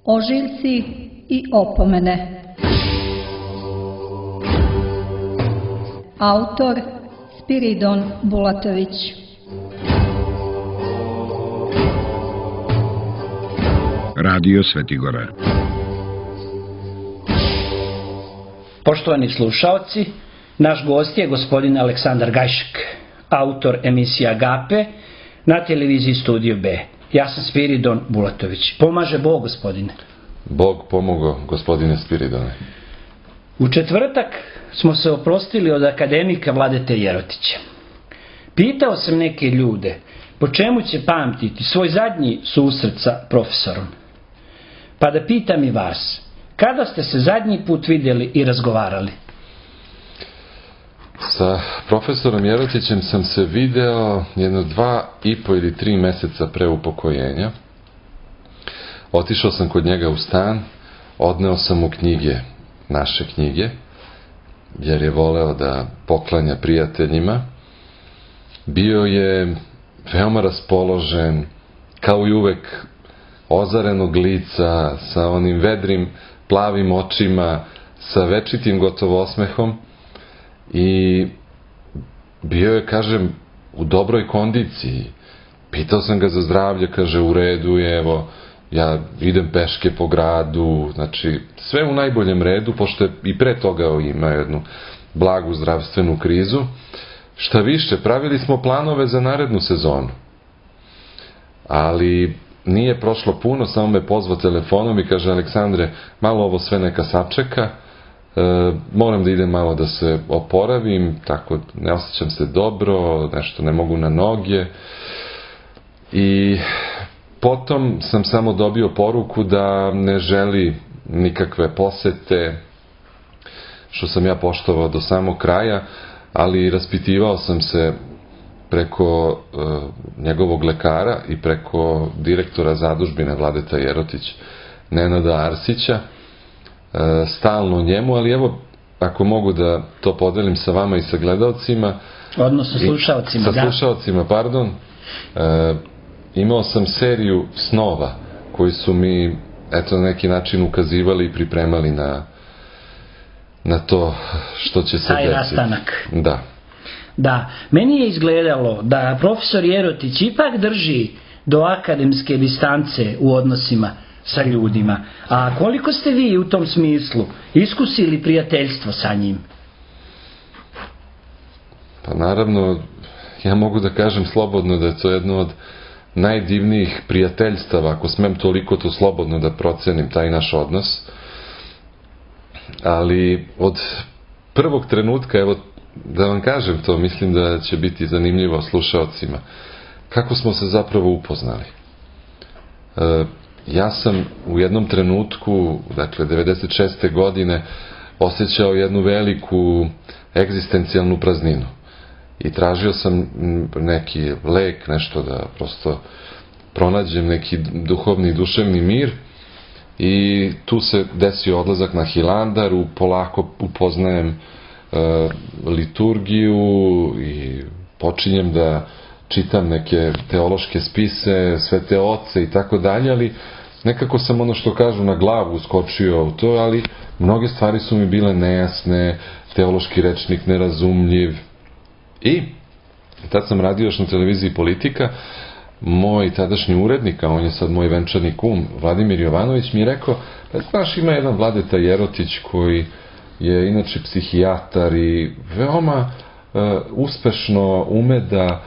Ožiljci i opomene. Autor Spiridon Bulatović. Radio Svetigora. Poštovani slušaoci, naš gost je gospodin Aleksandar Gajšek, autor emisija Agape na televiziji Studio B. Ja sam Spiridon Bulatović. Pomaže Bog, gospodine. Bog pomogao, gospodine Spiridone. U četvrtak smo se oprostili od akademika Vladete Jerotića. Pitao sam neke ljude po čemu će pamtiti svoj zadnji susret sa profesorom. Pa da pitam i vas, kada ste se zadnji put vidjeli i razgovarali? Sa profesorom Jerotićem sam se video jedno 2,5 ili 3 meseca pre upokojenja. Otišao sam kod njega u stan, odneo sam mu knjige, naše knjige, jer je voleo da poklanja prijateljima. Bio je veoma raspoložen, kao i uvek ozarenog lica, sa onim vedrim plavim očima, sa večitim gotovo osmehom i bio je, kažem, u dobroj kondiciji. Pitao sam ga za zdravlje, kaže u redu je, evo, ja idem peške po gradu, znači sve u najboljem redu, pošto je i pre toga imao jednu blagu zdravstvenu krizu. Šta više, pravili smo planove za narednu sezonu, ali nije prošlo puno, samo me pozvao telefonom i kaže: Aleksandre, malo ovo sve neka sačeka, moram da idem malo da se oporavim, tako ne osjećam se dobro, nešto ne mogu na noge. I potom sam samo dobio poruku da ne želi nikakve posete, što sam ja poštovao do samog kraja, ali raspitivao sam se preko njegovog lekara i preko direktora zadužbine Vladeta Jerotić, Nenada Arsića, stalno njemu, ali evo, ako mogu da to podelim sa vama i sa gledalcima, odnosno slušaocima, sa slušaocima, pardon, imao sam seriju snova koji su mi, eto, na neki način ukazivali i pripremali na to što će se desiti. Taj rastanak. Da. Da, meni je izgledalo da profesor Jerotić ipak drži do akademske distance u odnosima sa ljudima. A koliko ste vi u tom smislu iskusili prijateljstvo sa njim? Pa naravno, ja mogu da kažem slobodno da je to jedno od najdivnijih prijateljstava, ako smem toliko to slobodno da procenim taj naš odnos. Ali od prvog trenutka, evo da vam kažem to, mislim da će biti zanimljivo slušaocima, kako smo se zapravo upoznali. Ja sam u jednom trenutku, dakle 96. godine, osjećao jednu veliku egzistencijalnu prazninu i tražio sam neki lek, nešto da prosto pronađem neki duhovni, duševni mir, i tu se desio odlazak na Hilandar, polako upoznajem liturgiju i počinjem da čitam neke teološke spise, svete oce i tako dalje, ali nekako sam, ono što kažu, na glavu skočio u to, ali mnoge stvari su mi bile nejasne, teološki rečnik nerazumljiv. I tad sam radio još na televiziji Politika. Moj tadašnji urednik, a on je sad moj venčani kum, Vladimir Jovanović, mi je rekao: pa znaš, ima jedan Vladeta Jerotić koji je inače psihijatar i veoma uspešno ume da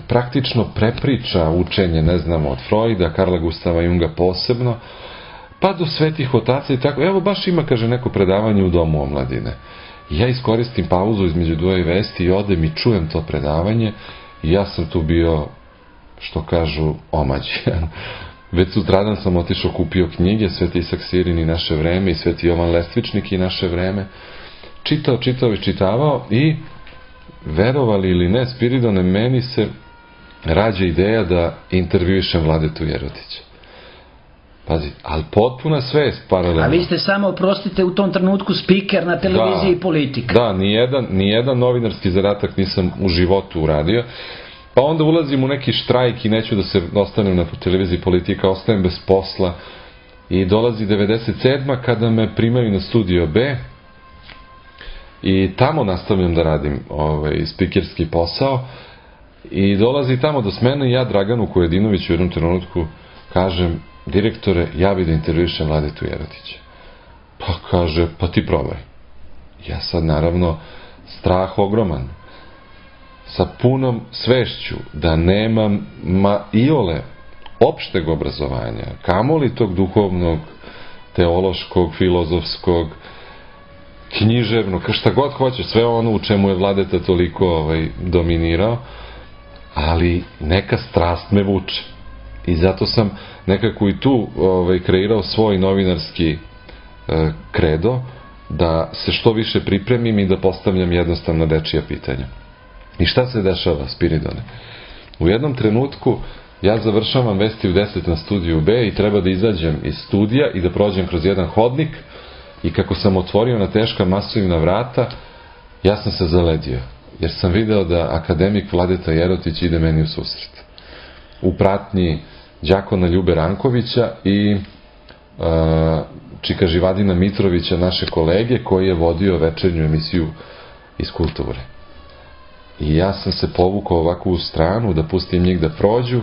praktično prepriča učenje, ne znam, od Freuda, Karla Gustava Junga posebno, pa do svetih otaca i tako. Evo, baš ima, kaže, neko predavanje u Domu omladine. I ja iskoristim pauzu između dvoje vesti i odem i čujem to predavanje i ja sam tu bio, što kažu, omađen. Već sutradan sam otišao, kupio knjige, Sveti Isak Sirin i Naše vreme i Sveti Jovan Lestvičnik i Naše vreme. Čitao i čitavao i, verovali ili ne, Spiridone, meni se rađa ideja da intervjuišem Vladetu Jerotića. Pazi, ali potpuna svest paralelno. A vi ste samo, oprostite, u tom trenutku spiker na televiziji Politika. Da, nijedan novinarski zadatak nisam u životu uradio. Pa onda ulazim u neki štrajk i neću da se ostanem na televiziji Politika, ostajem bez posla i dolazi 97. kada me primaju na Studio B i tamo nastavljam da radim spikerski posao i dolazi tamo do smene i ja Draganu Kojedinoviću u jednom trenutku kažem: direktore, ja bi da intervjušem Vladetu Jerotića. Pa kaže: pa ti probaj. Ja sad naravno strah ogroman, sa punom svešću da nemam iole opšteg obrazovanja, kamoli tog duhovnog, teološkog, filozofskog, književnog, šta god hoćeš, sve ono u čemu je Vladeta toliko dominirao, ali neka strast me vuče. I zato sam nekako i tu kreirao svoj novinarski kredo, da se što više pripremim i da postavljam jednostavno dečija pitanja. I šta se dešava, Spiridone? U jednom trenutku ja završavam Vesti u 10 na Studiju B i treba da izađem iz studija i da prođem kroz jedan hodnik i kako sam otvorio na teška masovna vrata, ja sam se zaledio, jer sam video da akademik Vladeta Jerotić ide meni u susret. U pratnji đakona Ljube Rankovića i čika Živadina Mitrovića, naše kolege, koji je vodio večernju emisiju iz kulture. I ja sam se povukao ovako u stranu da pustim njih da prođu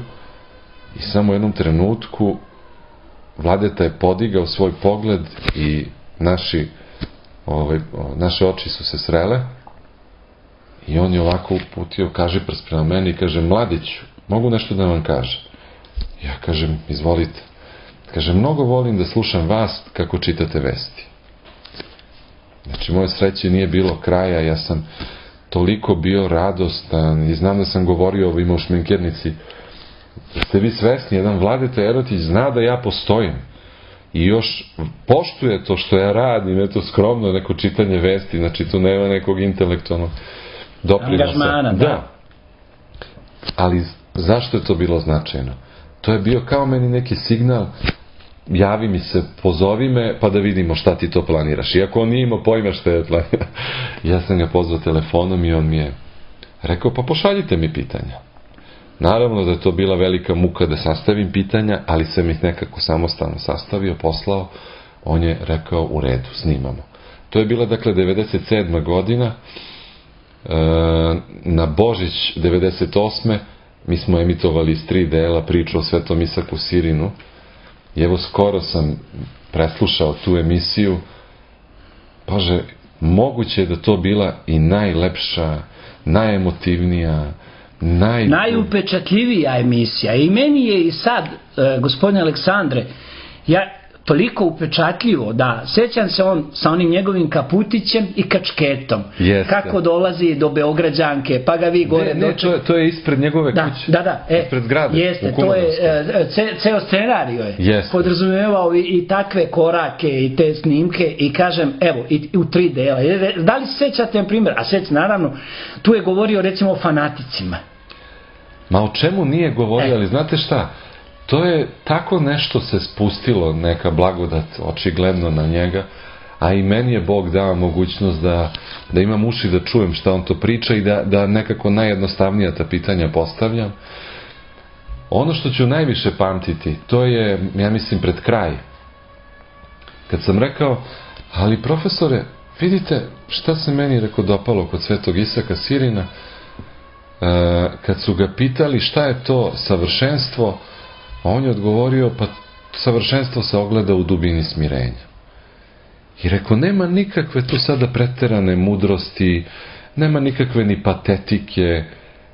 i samo u jednom trenutku Vladeta je podigao svoj pogled i naše oči su se srele i on je ovako uputio, kaže prst prema meni i kaže: Mladiću, mogu nešto da vam kažem? Ja kažem: izvolite. Kaže: mnogo volim da slušam vas kako čitate vesti. Znači, moje sreće nije bilo kraja, ja sam toliko bio radostan i znam da sam govorio ovima u šminkernici: ste vi svesni, jedan Vladeta Jerotić zna da ja postojim i još poštuje to što ja radim, eto skromno neko čitanje vesti, znači tu nema nekog intelektualnog doprinosa. Angažmana, da. Ali zašto je to bilo značajno? To je bio kao meni neki signal: javi mi se, pozovi me, pa da vidimo šta ti to planiraš. Iako on nije imao pojma šta je planira. Ja sam ga pozvao telefonom i on mi je rekao: pa pošaljite mi pitanja. Naravno da je to bila velika muka da sastavim pitanja, ali sam ih nekako samostalno sastavio, poslao. On je rekao: u redu, snimamo. To je bila, dakle, 97. godina. Na Božić 98. mi smo emitovali iz 3 dela priču o Svetom Isaku Sirinu. I evo, skoro sam preslušao tu emisiju. Bože, moguće je da to bila i najlepša, najemotivnija, najupečatljivija emisija. I meni je i sad, gospodine Aleksandre, ja toliko upečatljivo da sećam se on sa onim njegovim kaputićem i kačketom. Kako dolazi do Beograđanke, pa ga vi gore... Ne, to je ispred njegove kuće. Da. Ispred grada. Jeste, to je, ceo scenario je podrazumevao i takve korake i te snimke i kažem, evo, i u 3 dela. Da li se sećate, na primjer, a sećam, naravno, tu je govorio recimo o fanaticima. Ma o čemu nije govorio, ali znate šta? To je tako nešto se spustilo, neka blagodat očigledno na njega, a i meni je Bog dao mogućnost da imam uši da čujem šta on to priča i da nekako najjednostavnija ta pitanja postavljam. Ono što ću najviše pamtiti, to je, ja mislim, pred kraj. Kad sam rekao: ali profesore, vidite šta se meni dopalo kod Svetog Isaka Sirina, kad su ga pitali šta je to savršenstvo, a on je odgovorio: pa savršenstvo se ogleda u dubini smirenja. I rekao: nema nikakve tu sada preterane mudrosti, nema nikakve ni patetike,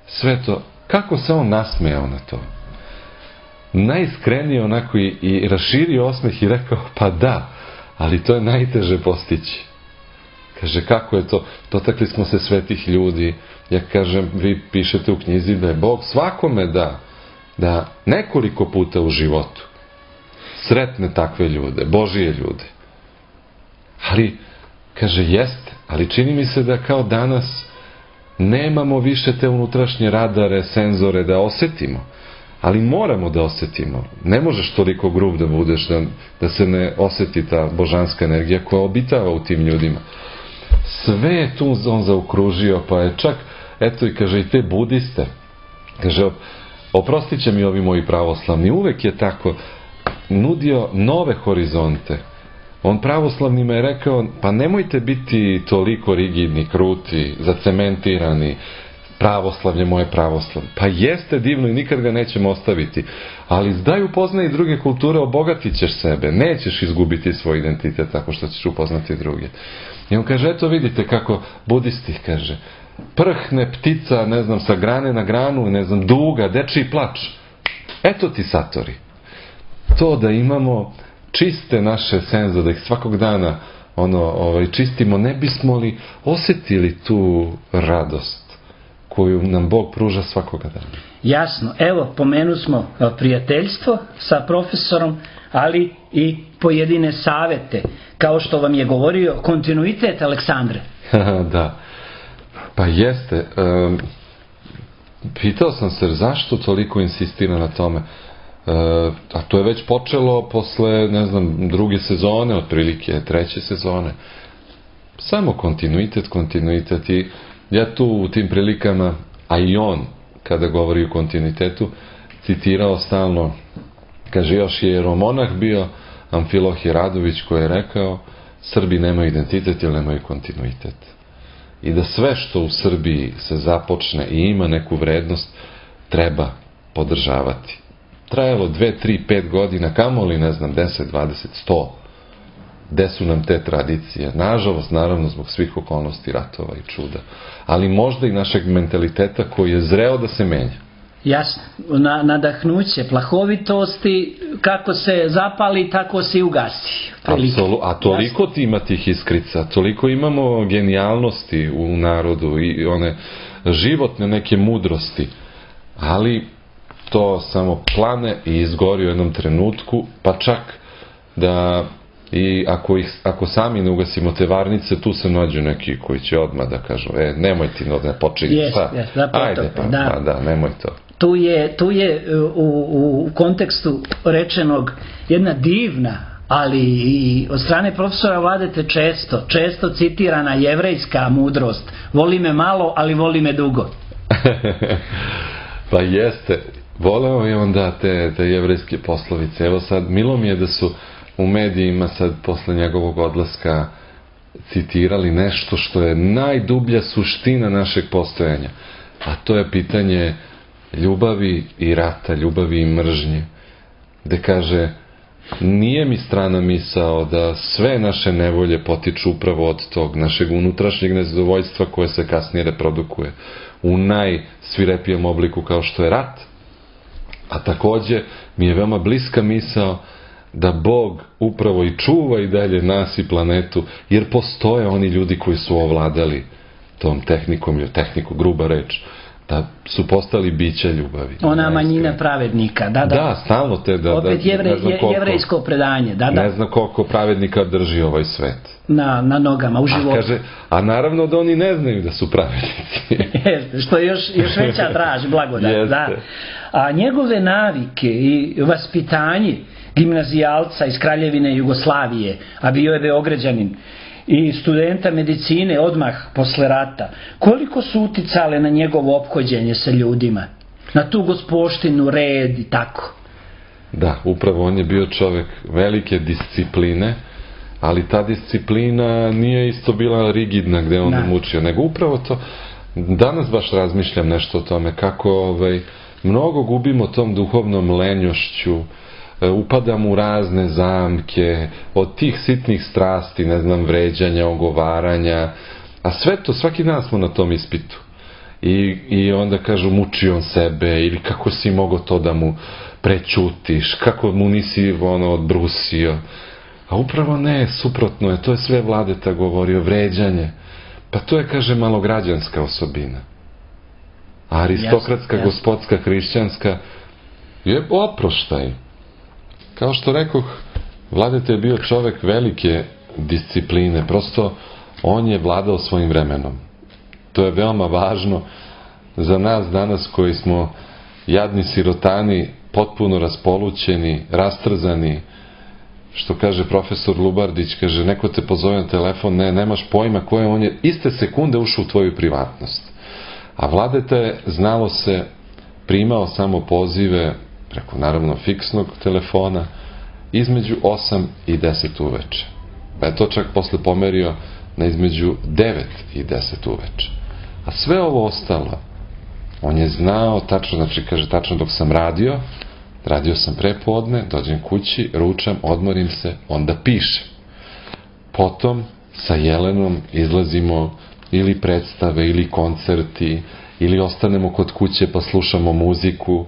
sve to. Kako se on nasmejao na to? Najiskrenije onako i raširio osmeh i rekao: pa da, ali to je najteže postići. Kaže: kako je to? Dotakli smo se svetih ljudi. Ja kažem: vi pišete u knjizi da je Bog svakome da nekoliko puta u životu sretne takve ljude, Božije ljude. Ali, kaže, jeste, ali čini mi se da kao danas nemamo više te unutrašnje radare, senzore da osetimo. Ali moramo da osetimo. Ne možeš toliko grub da budeš da se ne oseti ta božanska energija koja obitava u tim ljudima. Sve je tu on zaokružio, pa je čak, eto i kaže, i te budiste. Kaže: oprostit će mi ovi moji pravoslavni, uvek je tako. nudio nove horizonte. On pravoslavnima je rekao, pa nemojte biti toliko rigidni, kruti, zacementirani, pravoslavlje moje pravoslavlje. Pa jeste divno i nikad ga nećemo ostaviti. Ali daj upoznaj druge kulture, obogatit ćeš sebe. Nećeš izgubiti svoj identitet tako što ćeš upoznati druge. I on kaže, eto vidite kako budisti, kaže, prhne ptica, ne znam, sa grane na granu, ne znam, duga, dečiji plač. Eto ti satori. To da imamo čiste naše senze, da ih svakog dana čistimo, ne bismo li osjetili tu radost koju nam Bog pruža svakoga dana. Jasno. Evo, pomenu smo prijateljstvo sa profesorom, ali i pojedine savete. Kao što vam je govorio, kontinuitet, Aleksandre. Da. Pa jeste. Pitao sam se zašto toliko insistira na tome. A to je već počelo posle, ne znam, druge sezone, otprilike treće sezone. Samo kontinuitet i ja tu u tim prilikama, a i on kada govori o kontinuitetu, citirao stalno, kaže, još je jeromonah bio Amfilohije Radović koji je rekao, Srbi nemaju identitet jer nemaju kontinuitet. I da sve što u Srbiji se započne i ima neku vrednost, treba podržavati. Trajalo 2, 3, 5 godina, kamoli, ne znam, 10, 20, 100. Gde su nam te tradicije? Nažalost, naravno, zbog svih okolnosti, ratova i čuda. Ali možda i našeg mentaliteta koji je zreo da se menja. Jasno. Nadahnuće, plahovitosti, kako se zapali, tako se i ugasi. A toliko ima tih iskrica, toliko imamo genijalnosti u narodu i one životne neke mudrosti. Ali to samo plane i izgori u jednom trenutku, pa čak da i ako sami ne ugasimo te varnice, tu se nađu neki koji će odmah da kažu, nemoj ti ne počiniti, ajde pa, nemoj to. Tu je u kontekstu rečenog jedna divna, ali i od strane profesora Vladete često citirana jevrejska mudrost. Voli me malo, ali voli me dugo. Pa jeste. Voleo je onda te jevrejske poslovice. Evo sad, milo mi je da su u medijima sad posle njegovog odlaska citirali nešto što je najdublja suština našeg postojanja. A to je pitanje ljubavi i rata, ljubavi i mržnje. Gde kaže, nije mi strana misao da sve naše nevolje potiču upravo od tog našeg unutrašnjeg nezadovoljstva koje se kasnije reprodukuje u najsvirepijem obliku kao što je rat. A takođe mi je veoma bliska misao da Bog upravo i čuva i dalje nas i planetu, jer postoje oni ljudi koji su ovladali tom tehnikom, tehniku, gruba reč, da su postali bića ljubavi. Ona manjina pravednika, da. Da, stalno te da... Opet jevrejsko predanje, da. Ne znam koliko pravednika drži ovaj svet. Na nogama, u životu. A naravno da oni ne znaju da su pravednici. Jeste, što je još veća draž, blagodat, da. A njegove navike i vaspitanje gimnazijalca iz Kraljevine Jugoslavije, a bio je Beograđanin, i studenta medicine odmah posle rata, koliko su uticale na njegovo ophođenje sa ljudima, na tu gospoštinu, red i tako? Da, upravo on je bio čovek velike discipline, ali ta disciplina nije isto bila rigidna gde on mučio, nego upravo to, danas baš razmišljam nešto o tome, kako mnogo gubimo tom duhovnom lenjošću, upadam u razne zamke, od tih sitnih strasti, ne znam, vređanja, ogovaranja, a sve to, svaki dan smo na tom ispitu. I onda kažu, muči on sebe, ili kako si mogao to da mu prećutiš, kako mu nisi odbrusio. A upravo ne, suprotno je, to je sve Vladeta govorio, vređanje. Pa to je, kaže, malograđanska osobina. A aristokratska, gospodska, hrišćanska je oproštaj. Kao što rekoh, Vladeta je bio čovek velike discipline, prosto on je vladao svojim vremenom. To je veoma važno za nas danas koji smo jadni sirotani, potpuno raspolućeni, rastrzani. Što kaže profesor Lubardić, kaže, neko te pozove na telefon, nemaš pojma koje, on je iste sekunde ušao u tvoju privatnost. A Vladeta je, znalo se, primao samo pozive preko naravno fiksnog telefona između 8 i 10 uveče. Pa je to čak posle pomerio na između 9 i 10 uveče. A sve ovo ostalo, on je znao tačno, znači kaže tačno dok sam radio sam prepodne, dođem kući, ručam, odmorim se, onda pišem. Potom sa Jelenom izlazimo ili predstave, ili koncerti, ili ostanemo kod kuće pa slušamo muziku.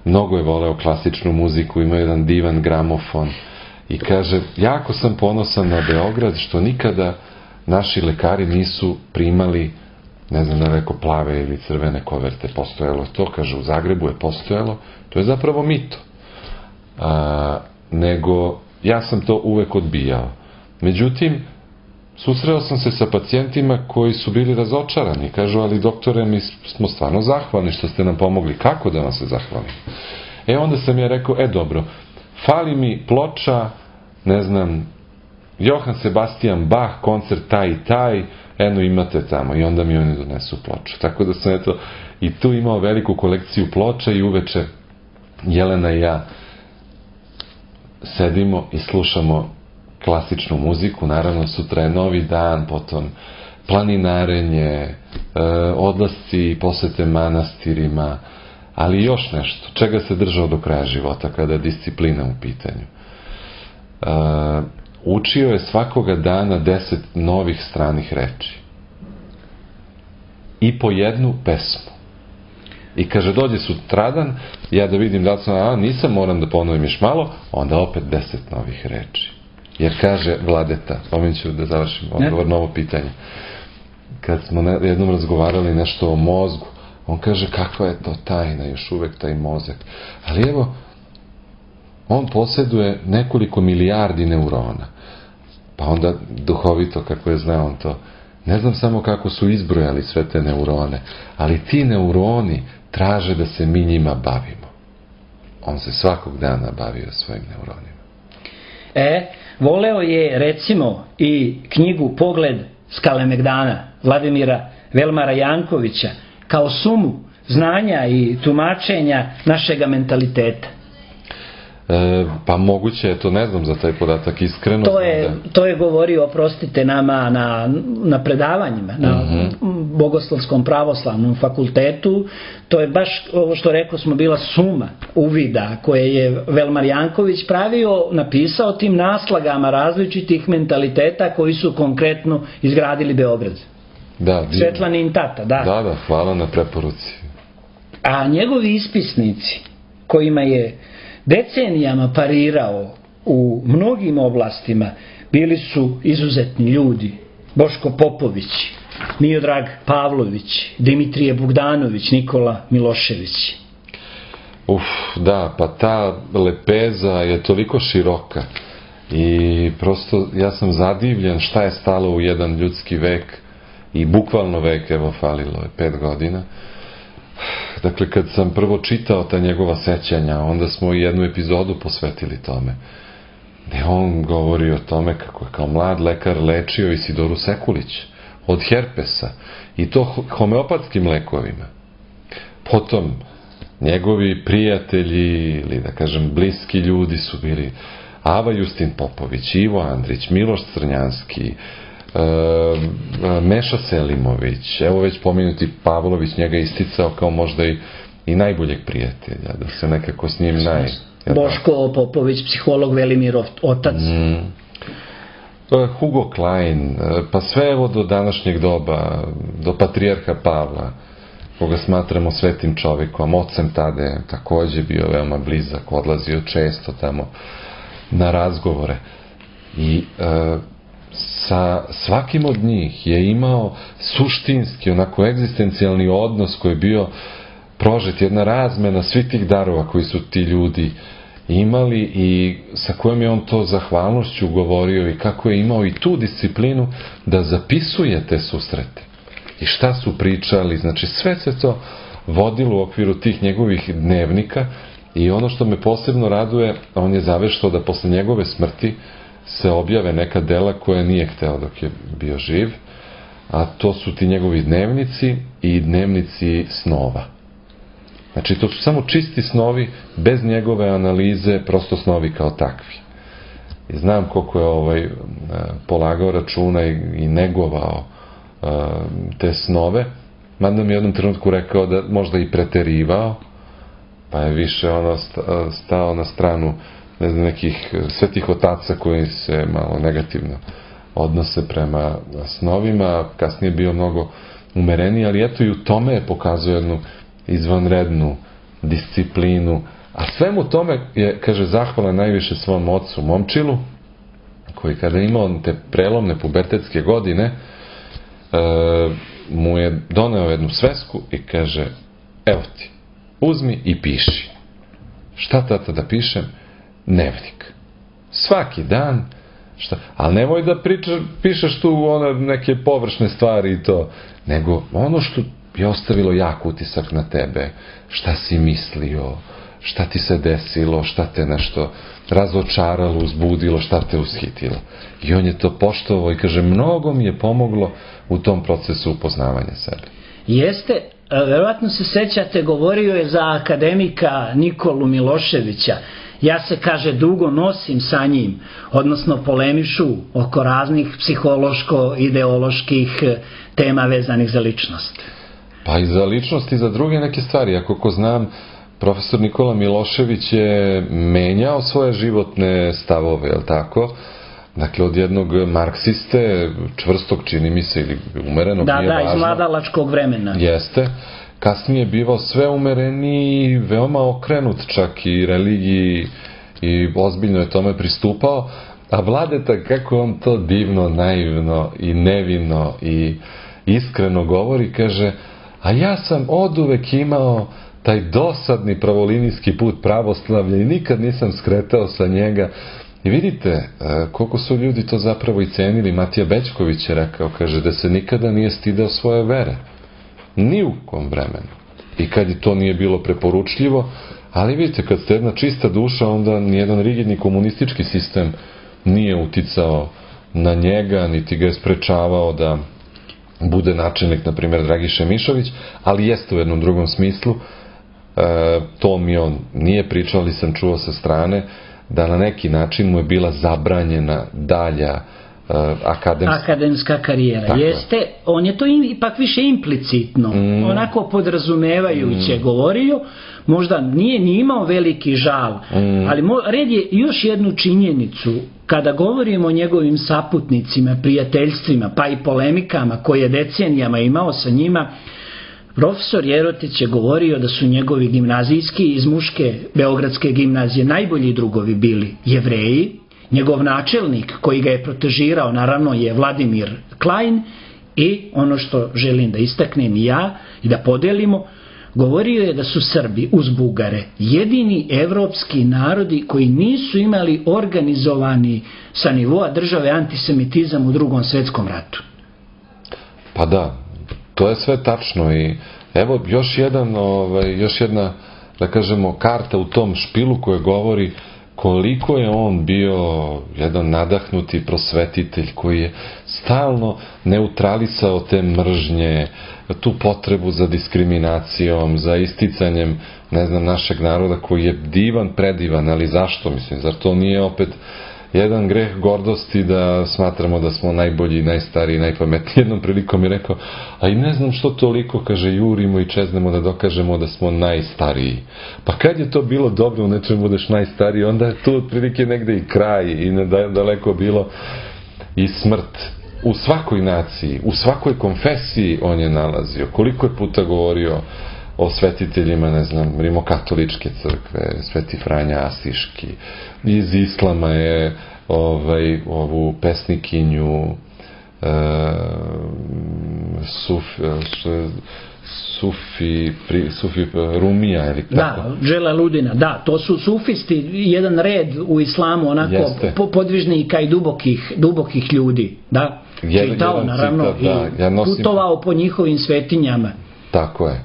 Mnogo je voleo klasičnu muziku, ima jedan divan gramofon. I kaže, jako sam ponosan na Beograd što nikada naši lekari nisu primali, ne znam da rekao, plave ili crvene koverte. Postojalo to, kaže, u Zagrebu je postojalo. To je zapravo mito. Nego, ja sam to uvek odbijao. Međutim, susreo sam se sa pacijentima koji su bili razočarani. Kažu, ali doktore, mi smo stvarno zahvalni što ste nam pomogli. Kako da vam se zahvalim? Onda sam ja rekao, dobro, fali mi ploča, ne znam, Johann Sebastian Bach, koncert taj i taj, imate tamo. I onda mi oni donesu ploču. Tako da sam i tu imao veliku kolekciju ploča i uveče Jelena i ja sedimo i slušamo klasičnu muziku. Naravno, sutra je novi dan, potom planinarenje, odlasci, posete manastirima, ali još nešto, čega se držao do kraja života kada je disciplina u pitanju. Učio je svakoga dana 10 novih stranih reči. I po jednu pesmu. I kaže, dođe sutradan, ja da vidim da li sam, nisam, moram da ponovim još malo, onda opet 10 novih reči. Jer kaže Vladeta, ću da završim odgovor na ovo pitanje. Kad smo jednom razgovarali nešto o mozgu, on kaže, kakva je to tajna, još uvek taj mozak. Ali evo, on posjeduje nekoliko milijardi neurona. Pa onda duhovito, kako je znao on to, ne znam samo kako su izbrojali sve te neurone, ali ti neuroni traže da se mi njima bavimo. On se svakog dana bavio svojim neuronima. Voleo je, recimo, i knjigu Pogled s Kalemegdana Vladimira Velmara Jankovića kao sumu znanja i tumačenja našega mentaliteta. Pa moguće je to, ne znam za taj podatak, iskreno. To je govorio, oprostite, nama na predavanjima, na Bogoslovskom pravoslavnom fakultetu. To je baš ovo što rekao smo, bila suma uvida koje je Velmar Janković pravio, napisao tim naslagama različitih mentaliteta koji su konkretno izgradili Beograd. Svetlanin tata, da. Da, hvala na preporuci. A njegovi ispisnici, kojima je decenijama parirao u mnogim oblastima, bili su izuzetni ljudi. Boško Popović, Miodrag Pavlović, Dimitrije Bogdanović, Nikola Milošević. Da, pa ta lepeza je toliko široka i prosto ja sam zadivljen šta je stalo u jedan ljudski vek i bukvalno vek, evo falilo je 5 godina. Dakle, kad sam prvo čitao ta njegova sećanja, onda smo i jednu epizodu posvetili tome. Gde on govori o tome kako je kao mlad lekar lečio Isidoru Sekulić od herpesa i to homeopatskim lekovima. Potom, njegovi prijatelji ili da kažem bliski ljudi su bili Ava Justin Popović, Ivo Andrić, Miloš Crnjanski, Meša Selimović, evo već pomenuti Pavlović, njega isticao kao možda i najboljeg prijatelja, da se nekako s njim Boško Popović, psiholog, Velimirov otac. Hugo Klein, pa sve evo do današnjeg doba, do patrijarha Pavla, koga smatramo svetim čovekom, ocem Tade, takođe bio veoma blizak, odlazio često tamo na razgovore. I sa svakim od njih je imao suštinski, onako egzistencijalni odnos koji je bio prožet, jedna razmena svih tih darova koji su ti ljudi imali i sa kojom je on to zahvalnošću govorio i kako je imao i tu disciplinu da zapisuje te susrete i šta su pričali, znači sve se to vodilo u okviru tih njegovih dnevnika i ono što me posebno raduje, on je zaveštao da posle njegove smrti se objave neka dela koje nije hteo dok je bio živ, a to su ti njegovi dnevnici i dnevnici snova. Znači, to su samo čisti snovi, bez njegove analize, prosto snovi kao takvi. i znam koliko je polagao računa i negovao te snove, mada mi je u jednom trenutku rekao da možda i preterivao, pa je više stao na stranu, ne znam, nekih svetih otaca koji se malo negativno odnose prema snovima, kasnije bio mnogo umereniji, ali eto i u tome je pokazao jednu izvanrednu disciplinu, a svemu tome je, kaže, zahvala najviše svom ocu Momčilu, koji kada je imao te prelomne pubertetske godine, mu je doneo jednu svesku i kaže, evo ti, uzmi i piši. Šta, tata, da pišem? Dnevnik. Svaki dan, ali nemoj da pišeš tu neke površne stvari i to, nego ono što je ostavilo jak utisak na tebe, šta si mislio, šta ti se desilo, šta te nešto razočaralo, uzbudilo, šta te ushitilo. I on je to poštovao i kaže, mnogo mi je pomoglo u tom procesu upoznavanja sebe. Jeste, verovatno se sećate, govorio je za akademika Nikolu Miloševića. Ja se, kaže, dugo nosim sa njim, odnosno polemišu oko raznih psihološko-ideoloških tema vezanih za ličnost. Pa i za ličnost i za druge neke stvari. Ako ko znam, profesor Nikola Milošević je menjao svoje životne stavove, je li tako? Dakle, od jednog marksiste, čvrstog, čini mi se, ili umerenog, nije važno. Da, iz mladalačkog vremena. Jeste. Kasnije je bivao sve umereniji, veoma okrenut čak i religiji i ozbiljno je tome pristupao. A Vladeta, kako on to divno, naivno i nevino i iskreno govori, kaže, a ja sam oduvek imao taj dosadni pravolinijski put pravoslavlja i nikad nisam skretao sa njega. I vidite koliko su ljudi to zapravo i cenili. Matija Bećković je rekao, kaže, da se nikada nije stideo svoje vere. Ni u kom vremenu. I kad i to nije bilo preporučljivo, ali vidite, kad ste jedna čista duša, onda nijedan rigidni komunistički sistem nije uticao na njega, niti ga je sprečavao da bude načelnik, na primjer, Dragiše Mišović, ali jeste u jednom drugom smislu. To mi on nije pričao, ali sam čuo sa strane, da na neki način mu je bila zabranjena dalja akademska karijera. Tako jeste, on je to ipak više implicitno, onako podrazumevajuće govorio, možda nije ni imao veliki žal, ali red je još jednu činjenicu, kada govorimo o njegovim saputnicima, prijateljstvima, pa i polemikama koje je decenijama imao sa njima. Profesor Jerotić je govorio da su njegovi gimnazijski iz muške Beogradske gimnazije najbolji drugovi bili Jevreji. Njegov načelnik koji ga je protežirao, naravno, je Vladimir Klein, i ono što želim da istaknem i ja i da podelimo, govorio je da su Srbi uz Bugare jedini evropski narodi koji nisu imali organizovani sa nivoa države antisemitizam u Drugom svetskom ratu. Pa da, to je sve tačno i evo još jedna, da kažemo, karta u tom špilu koja govori koliko je on bio jedan nadahnuti prosvetitelj koji je stalno neutralisao te mržnje, tu potrebu za diskriminacijom, za isticanjem, ne znam, našeg naroda koji je divan, predivan, ali zašto, mislim, zar to nije opet jedan greh gordosti da smatramo da smo najbolji, najstariji, najpametniji. Jednom prilikom je rekao, a i ne znam što toliko, kaže, jurimo i čeznemo da dokažemo da smo najstariji. Pa kad je to bilo dobro u nečemu budeš najstariji, onda je tu otprilike negde i kraj i daleko bilo i smrt. U svakoj naciji, u svakoj konfesiji on je nalazio. Koliko je puta govorio o svetiteljima, ne znam, rimokatoličke crkve, Sveti Franja Asiški. Iz islama je ovu pesnikinju Sufi Rumija, ili tako? Da, Dželaludina, da, to su sufisti, jedan red u islamu, onako podvižnika i dubokih ljudi, da, čitao, naravno, i putovao po njihovim svetinjama. Tako je.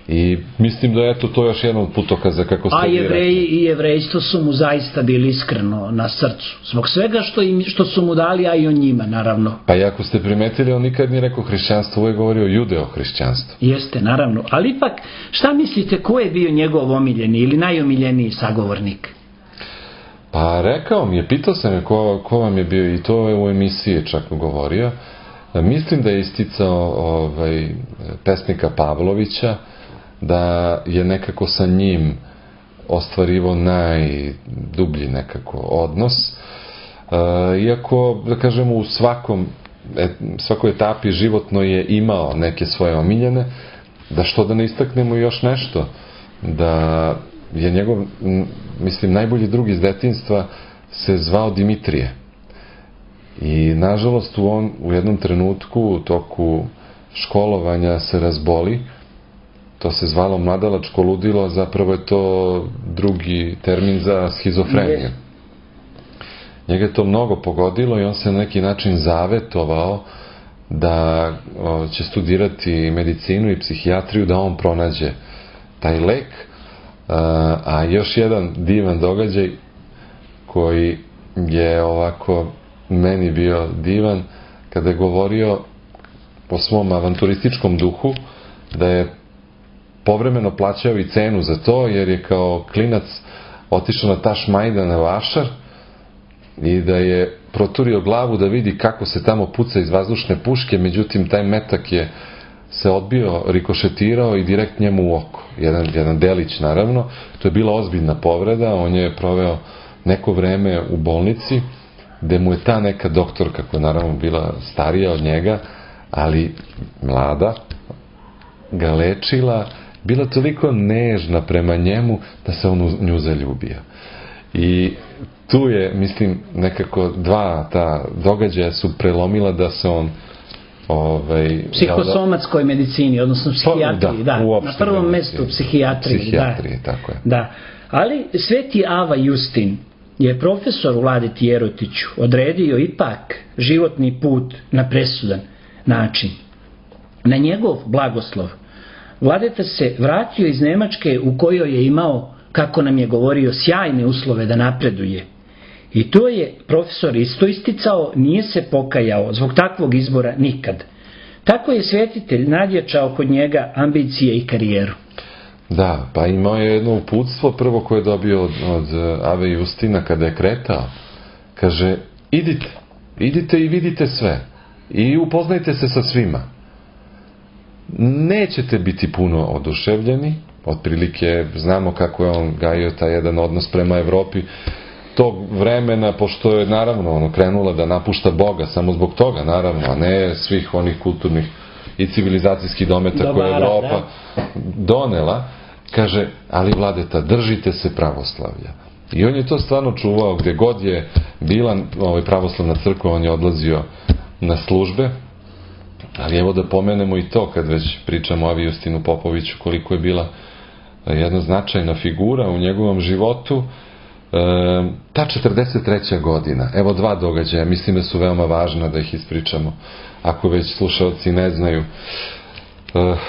I mislim da je to još jedan od putokaza, kako ste vi rekli. I jevrejstvo su mu zaista bili iskreno na srcu. Zbog svega što su mu dali, a i o njima, naravno. Pa i ako ste primetili, on nikad nije rekao hrišćanstvo, uvijek govorio judeo-hrišćanstvo. Jeste, naravno. Ali ipak, šta mislite, ko je bio njegov omiljeni ili najomiljeniji sagovornik? Pa rekao mi je, pitao sam je ko vam je bio, i to je u emisiji čak govorio. Mislim da je isticao pesnika Pavlovića, da je nekako sa njim ostvarivo najdublji nekako odnos. Iako, da kažemo, u svakoj etapi životno je imao neke svoje omiljene, da što da ne istaknemo još nešto, da je njegov, mislim, najbolji drug iz detinjstva se zvao Dimitrije. I, nažalost, on u jednom trenutku u toku školovanja se razboli. To se zvalo mladalačko ludilo, zapravo je to drugi termin za schizofreniju. Njega je to mnogo pogodilo i on se na neki način zavetovao da će studirati medicinu i psihijatriju, da on pronađe taj lek. A još jedan divan događaj koji je ovako meni bio divan, kada je govorio o svom avanturističkom duhu, da je povremeno plaćao i cenu za to, jer je kao klinac otišao na Tašmajdan na Vašar i da je proturio glavu da vidi kako se tamo puca iz vazdušne puške, međutim taj metak je se odbio, rikošetirao i direkt njemu u oko. Jedan delić, naravno. To je bila ozbiljna povreda. On je proveo neko vreme u bolnici, gde mu je ta neka doktorka, koja naravno bila starija od njega, ali mlada, ga lečila, bila toliko nežna prema njemu da se on u nju zaljubio. I tu je, mislim, nekako dva ta događaja su prelomila da se on psihosomatskoj medicini, odnosno psihijatriji, na prvom mestu psihijatriji, tako je. Da. Ali Sveti Ava Justin je profesor Vladeti Jerotiću odredio ipak životni put na presudan način. Na njegov blagoslov Vladeta se vratio iz Nemačke, u kojoj je imao, kako nam je govorio, sjajne uslove da napreduje. I to je profesor isto isticao, nije se pokajao zbog takvog izbora nikad. Tako je svetitelj nadjačao kod njega ambicije i karijeru. Da, pa imao je jedno uputstvo prvo koje je dobio od Ave Justina kada je kretao. Kaže, idite i vidite sve i upoznajte se sa svima. Nećete biti puno oduševljeni, otprilike znamo kako je on gajio taj jedan odnos prema Evropi tog vremena, pošto je naravno krenula da napušta Boga samo zbog toga, naravno, a ne svih onih kulturnih i civilizacijskih dometa koje je Evropa donela. Kaže, ali Vladeta, držite se pravoslavlja. I on je to stvarno čuvao, gde god je bila pravoslavna crkva, on je odlazio na službe. Ali evo da pomenemo i to, kad već pričamo o Avi Justinu Popoviću, koliko je bila jedna značajna figura u njegovom životu. Ta 43. godina, evo dva događaja, mislim da su veoma važna da ih ispričamo, ako već slušalci ne znaju.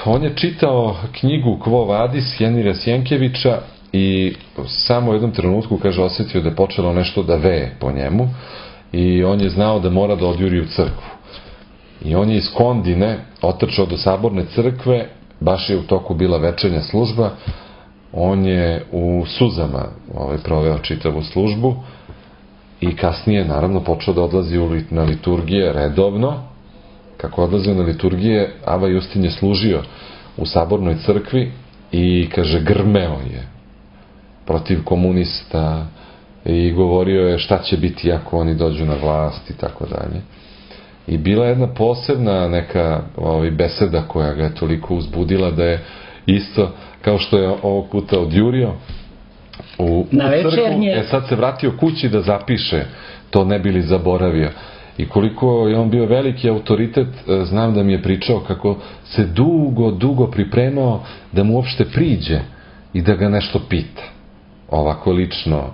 On je čitao knjigu Quo Vadis Henira Sjenkevića i samo u jednom trenutku, kaže, osetio da je počelo nešto da veje po njemu i on je znao da mora da odjuri u crkvu. I on je iz Kondine otrčao do Saborne crkve, baš je u toku bila večernja služba, on je u suzama proveo čitavu službu i kasnije naravno počeo da odlazi na liturgije redovno. Kako odlazio na liturgije, Ava Justin je služio u Sabornoj crkvi i, kaže, grmeo je protiv komunista i govorio je šta će biti ako oni dođu na vlast i tako dalje. I bila je jedna posebna neka beseda koja ga je toliko uzbudila da je isto, kao što je ovog puta odjurio u crkvu, sad se vratio kući da zapiše, to ne bi li zaboravio. I koliko je on bio veliki autoritet, znam da mi je pričao kako se dugo pripremao da mu uopšte priđe i da ga nešto pita. Ovako lično,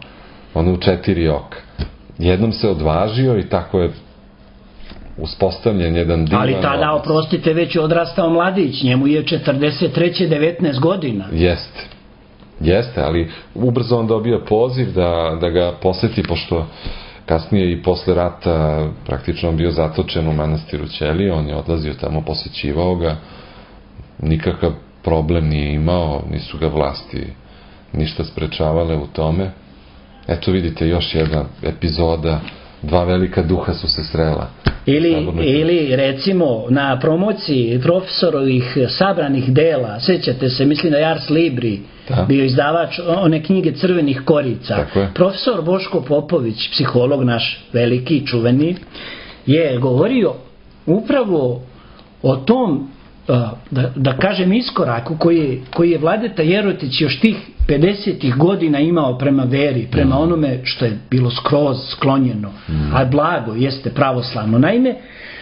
ono u 4 oka. Jednom se odvažio i tako je uspostavljen jedan divan odnos. Ali tada, oprostite, već je odrastao mladić, njemu je 43. 19 godina. Jeste, ali ubrzo on dobio poziv da ga poseti, pošto kasnije i posle rata praktično on bio zatočen u manastiru Ćelije, on je odlazio tamo, posećivao ga, nikakav problem nije imao, nisu ga vlasti ništa sprečavale u tome. Eto vidite, još jedna epizoda, dva velika duha su se srela. Ili recimo na promociji profesorovih sabranih dela, sjećate se, mislim da je Ars Libri bio izdavač one knjige Crvenih korica. Profesor Boško Popović, psiholog naš veliki, čuveni, je govorio upravo o tom, da kažem, iskoraku koji je Vladeta Jerotić još tih 50. godina imao prema veri, prema onome što je bilo skroz sklonjeno, a blago jeste pravoslavno. Naime,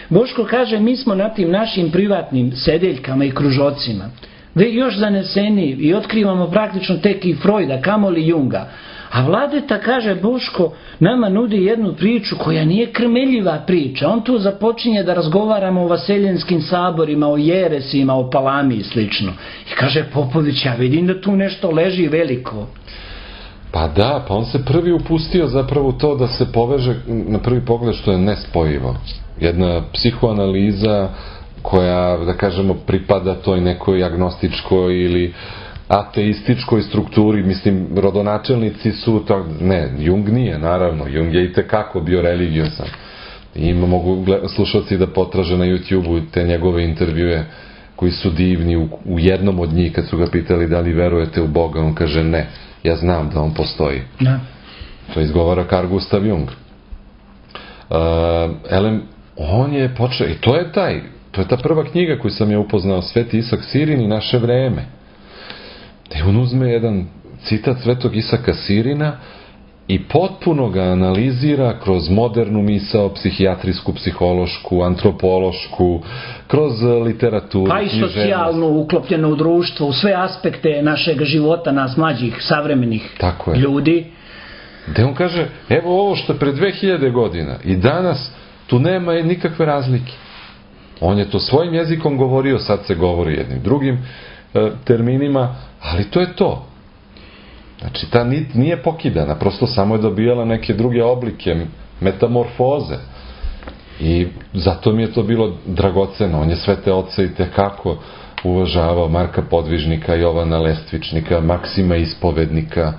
Boško kaže, mi smo na tim našim privatnim sedeljkama i kružocima još zaneseni i otkrivamo praktično tek i Freuda, kamoli Junga. A Vladeta, kaže Boško, nama nudi jednu priču koja nije krmeljiva priča. On tu započinje da razgovaramo o vaseljenskim saborima, o jeresima, o palami i slično. I kaže Popović, ja vidim da tu nešto leži veliko. Pa da, pa on se prvi upustio zapravo u to da se poveže na prvi pogled što je nespojivo. Jedna psihoanaliza koja, da kažemo, pripada toj nekoj agnostičkoj ili ateističkoj strukturi, mislim, rodonačelnici su to, ne, Jung nije, naravno, Jung je i tekako bio religiosan. I mogu slušalci da potraže na YouTube-u te njegove intervjue koji su divni. U jednom od njih, kad su ga pitali da li verujete u Boga, on kaže ne, ja znam da on postoji. To izgovara Carl Gustav Jung. On je počeo, i to je ta prva knjiga koju sam je upoznao, Sveti Isak Sirin i naše vreme. Da on uzme jedan citat Svetog Isaka Sirina i potpuno ga analizira kroz modernu misao, psihijatrijsku, psihološku, antropološku, kroz literaturu, pa i socijalnu, uklopljenu u društvo, u sve aspekte našeg života, nas mlađih, savremenih ljudi. Da on kaže, evo ovo što je pre 2000 godina i danas tu nema nikakve razlike. On je to svojim jezikom govorio, sad se govori jednim drugim terminima, ali to je to. Znači, ta nit nije pokidana, prosto samo je dobijala neke druge oblike, metamorfoze. I zato mi je to bilo dragoceno. On je sve te oce i tekako uvažavao, Marka Podvižnika, Jovana Lestvičnika, Maksima Ispovednika.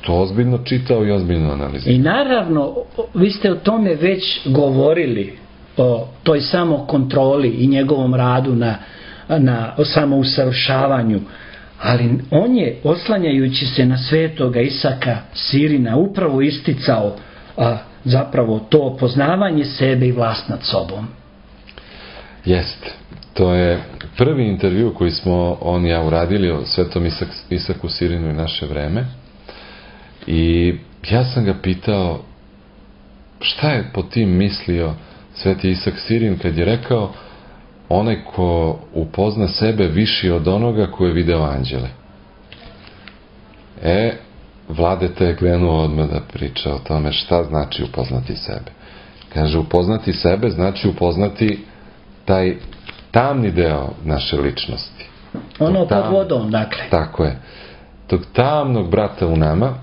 To ozbiljno čitao i ozbiljno analizirao. I naravno, vi ste o tome već govorili, o toj samokontroli i njegovom radu na samousavršavanju, ali on je, oslanjajući se na Svetoga Isaka Sirina, upravo isticao zapravo to poznavanje sebe i vlast nad sobom. Jest. To je prvi intervju koji smo on i ja uradili o Svetom Isaku Sirinu i naše vreme. I ja sam ga pitao šta je po tim mislio Sveti Isak Sirin kad je rekao onaj ko upozna sebe viši od onoga ko je video anđele. Vladeta je krenuo odmah da priča o tome šta znači upoznati sebe. Kaže, upoznati sebe znači upoznati taj tamni deo naše ličnosti. Ono pod vodom, dakle. Tako je. Tog tamnog brata u nama,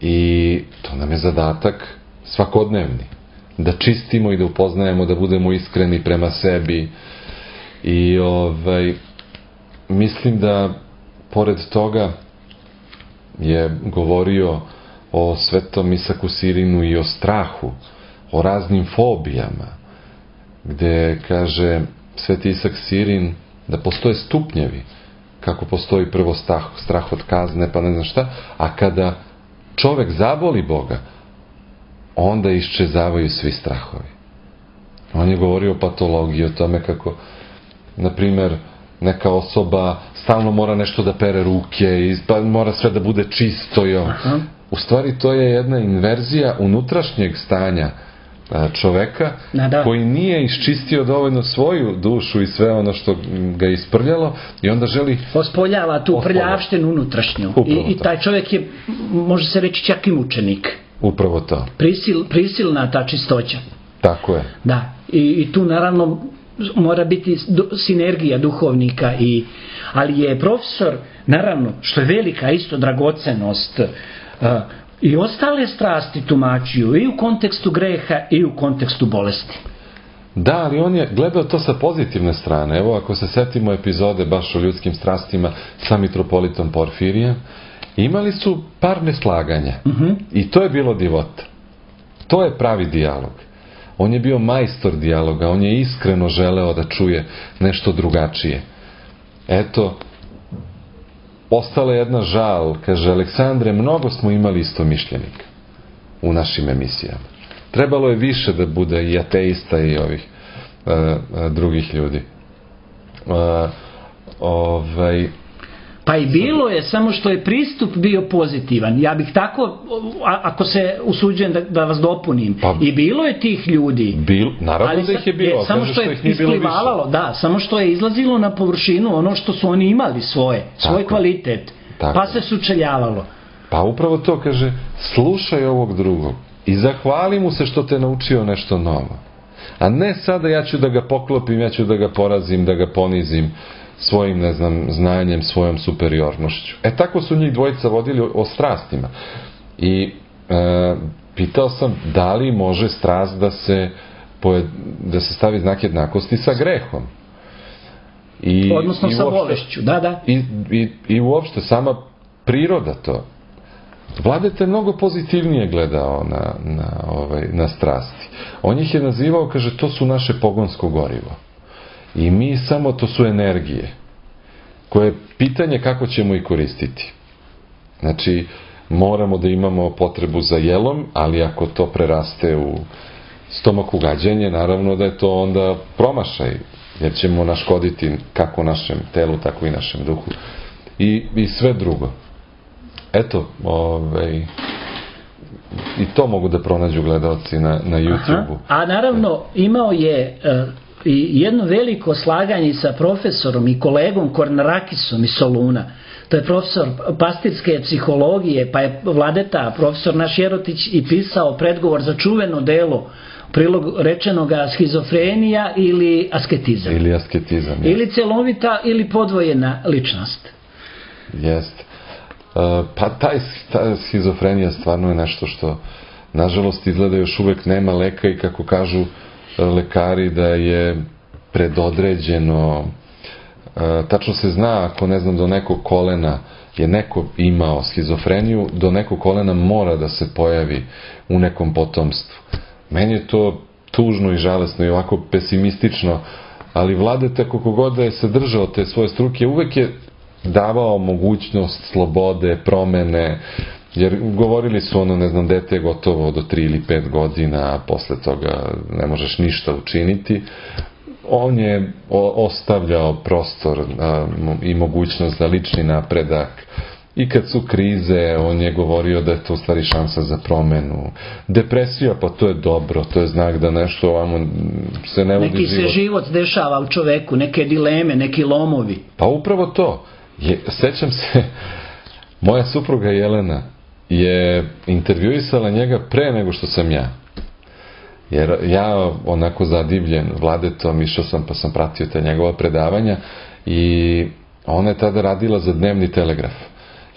i to nam je zadatak svakodnevni. Da čistimo i da upoznajemo, da budemo iskreni prema sebi. I mislim da pored toga je govorio o Svetom Isaku Sirinu i o strahu, o raznim fobijama, gde kaže Sveti Isak Sirin da postoje stupnjevi, kako postoji prvo strah od kazne, pa ne znam šta, a kada čovek zaboli Boga, onda iščezavaju svi strahovi. On je govorio o patologiji, o tome kako, na primer, neka osoba stalno mora nešto da pere ruke i mora sve da bude čisto. U stvari to je jedna inverzija unutrašnjeg stanja čoveka koji nije iščistio dovoljno svoju dušu i sve ono što ga je isprljalo i onda želi... Ospoljava tu prljavštinu unutrašnju. I taj čovek je, može se reći, čak i mučenik. Upravo to. Prisilna ta čistoća. Tako je. Da. I tu naravno mora biti sinergija duhovnika, ali je profesor, naravno, što je velika isto dragocenost, i ostale strasti tumačio i u kontekstu greha i u kontekstu bolesti. Da, ali on je gledao to sa pozitivne strane. Evo, ako se setimo epizode baš o ljudskim strastima sa mitropolitom Porfirijem, Imali su par neslaganja. I to je bilo divota. To je pravi dijalog. On je bio majstor dijaloga, on je iskreno želeo da čuje nešto drugačije. Eto, ostala jedna žal, kaže Aleksandre, mnogo smo imali istomišljenika u našim emisijama. Trebalo je više da bude i ateista i ovih drugih ljudi. Pa i bilo je, samo što je pristup bio pozitivan. Ja bih tako, ako se usuđujem da vas dopunim, i bilo je tih ljudi. Naravno da ih je bilo, samo što je isplivalo, da, samo što je izlazilo na površinu ono što su oni imali svoj kvalitet, pa se sučeljavalo. Pa upravo to, kaže, slušaj ovog drugog i zahvali mu se što te naučio nešto novo. A ne sada ja ću da ga poklopim, ja ću da ga porazim, da ga ponizim svojim, ne znam, znanjem, svojom superiornošću. Tako su njih dvojica vodili o strastima. I pitao sam da li može strast da se stavi znak jednakosti sa grehom. Odnosno sa bolešću, da. I uopšte sama priroda to. Vladeta je mnogo pozitivnije gledao na strasti. On ih je nazivao, kaže, to su naše pogonsko gorivo. I mi samo, to su energije, koje je pitanje kako ćemo ih koristiti. Znači, moramo da imamo potrebu za jelom, ali ako to preraste u stomak ugađenje, naravno da je to onda promašaj, jer ćemo naškoditi kako našem telu, tako i našem duhu. I sve drugo. Eto, i to mogu da pronađu gledalci na YouTube-u. A naravno, imao je i jedno veliko slaganje sa profesorom i kolegom Kornarakisom iz Soluna. To je profesor pastirske psihologije, pa je Vladeta, profesor naš Jerotić, i pisao predgovor za čuveno delo prilog rečenoga schizofrenija ili asketizam. Ili celovita ili podvojena ličnost. Jeste. Pa ta schizofrenija stvarno je nešto što nažalost izgleda još uvek nema leka i kako kažu lekari da je predodređeno, tačno se zna ako ne znam do nekog kolena je neko imao schizofreniju, do nekog kolena mora da se pojavi u nekom potomstvu. Meni je to tužno i žalesno i ovako pesimistično, ali Vladeta koliko god da je se držao te svoje struke, uvek je davao mogućnost slobode, promene, jer govorili su ne znam, dete je gotovo do 3 ili 5 godina, a posle toga ne možeš ništa učiniti. On je ostavljao prostor i mogućnost za lični napredak. I kad su krize, on je govorio da je to u stvari šansa za promenu. Depresija, pa to je dobro, to je znak da nešto ovamo se ne vodi život. Neki se život dešava u čoveku, neke dileme, neki lomovi. Pa upravo to. Sećam se, moja supruga Jelena je intervjuisala njega pre nego što sam ja. Jer ja onako zadivljen Vladetom, išao sam pa sam pratio te njegova predavanja i ona je tada radila za Dnevni telegraf.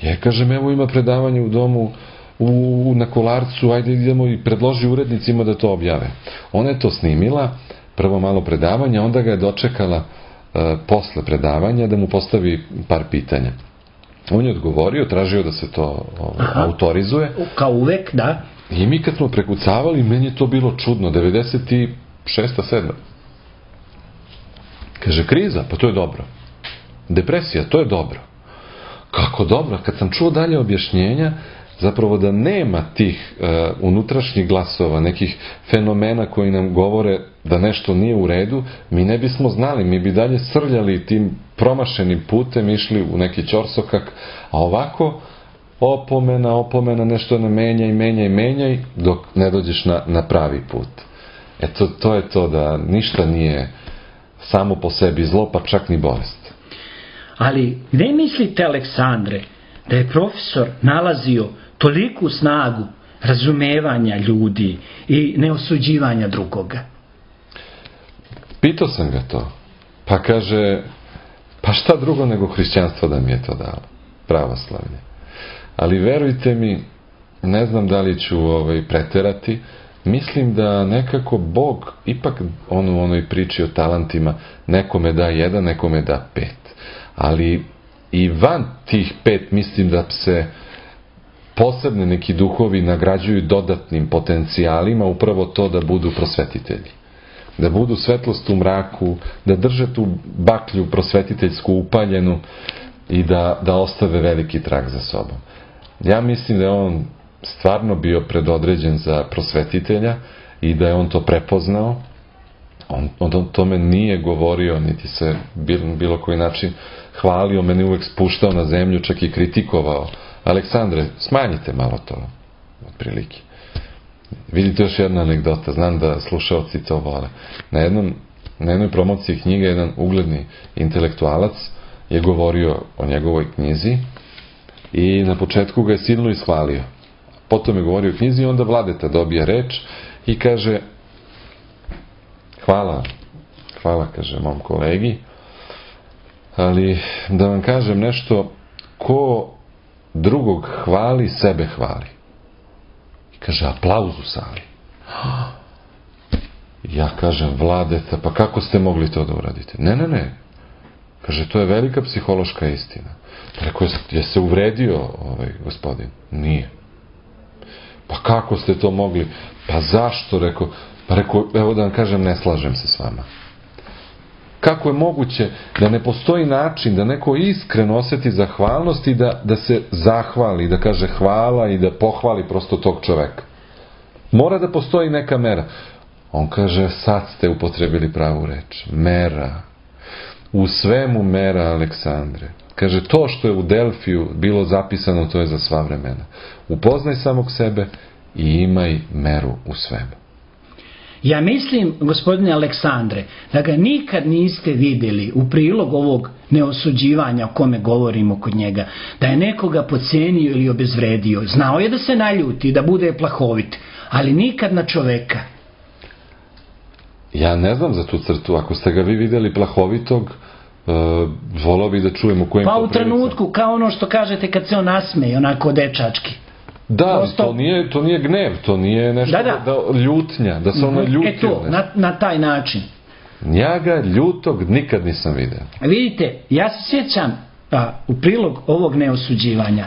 Ja kažem, evo ima predavanje u domu na Kolarcu, ajde idemo i predloži urednicima da to objave. Ona je to snimila, prvo malo predavanja, onda ga je dočekala posle predavanja da mu postavi par pitanja. On je odgovorio, tražio da se to autorizuje. Kao uvek, da. I mi kad smo prekucavali, meni je to bilo čudno, 96. 7. Kaže, kriza, pa to je dobro. Depresija, to je dobro. Kako dobro? Kad sam čuo dalje objašnjenja, zapravo da nema tih unutrašnjih glasova, nekih fenomena koji nam govore da nešto nije u redu, mi ne bismo znali, mi bi dalje srljali tim promašenim putem, išli u neki ćorsokak, a ovako opomena, nešto ne menjaj, dok ne dođeš na pravi put. Eto, to je to da ništa nije samo po sebi zlo, pa čak ni bolest. Ali gde mislite, Aleksandre, da je profesor nalazio toliku snagu razumevanja ljudi i neosuđivanja drugoga? Pitao sam ga to. Pa kaže, pa šta drugo nego hrišćanstvo da mi je to dalo? Pravoslavlje. Ali verujte mi, ne znam da li ću preterati, mislim da nekako Bog, ipak u onoj priči o talentima, nekome da 1, nekome da 5. Ali i van tih 5 mislim da se posebni neki duhovi nagrađuju dodatnim potencijalima upravo to da budu prosvetitelji. Da budu svetlost u mraku, da drže tu baklju prosvetiteljsku upaljenu i da ostave veliki trag za sobom. Ja mislim da je on stvarno bio predodređen za prosvetitelja i da je on to prepoznao. On o tome nije govorio, niti se bilo koji način hvalio, meni uvek spuštao na zemlju, čak i kritikovao. Aleksandre, smanjite malo to, otprilike. Vidite još jedna anegdota, znam da slušaoci to vole. Na jednoj promociji knjige jedan ugledni intelektualac je govorio o njegovoj knjizi i na početku ga je silno ishvalio. Potom je govorio o knjizi i onda Vladeta dobija reč i kaže: hvala, kaže mom kolegi, ali da vam kažem nešto, ko drugog hvali, sebe hvali. I kaže, aplauz u sali. Ja kažem, Vladeta, pa kako ste mogli to da uradite? Ne. Kaže, to je velika psihološka istina. Rekao, je se uvredio gospodin? Nije. Pa kako ste to mogli? Pa zašto? Rekao, evo da vam kažem, ne slažem se s vama. Kako je moguće da ne postoji način da neko iskreno osjeti zahvalnost i da se zahvali, da kaže hvala i da pohvali prosto tog čoveka? Mora da postoji neka mera. On kaže, sad ste upotrebili pravu reč. Mera. U svemu mera, Aleksandre. Kaže, to što je u Delfiju bilo zapisano, to je za sva vremena. Upoznaj samog sebe i imaj meru u svemu. Ja mislim, gospodine Aleksandre, da ga nikad niste vidjeli u prilog ovog neosuđivanja o kome govorimo kod njega, da je nekoga podcenio ili obezvredio. Znao je da se naljuti, da bude plahovit, ali nikad na čoveka. Ja ne znam za tu crtu. Ako ste ga vi vidjeli plahovitog, volao bih da čujem u kojem... Pa u trenutku, kao ono što kažete kad se on nasmeje, onako dečački. Da, prosto... to nije gnev, to nije nešto ljutnja, da se ono ljutio. To, na taj način. Ja ga ljutog nikad nisam vidio. Vidite, ja se sjećam u prilog ovog neosuđivanja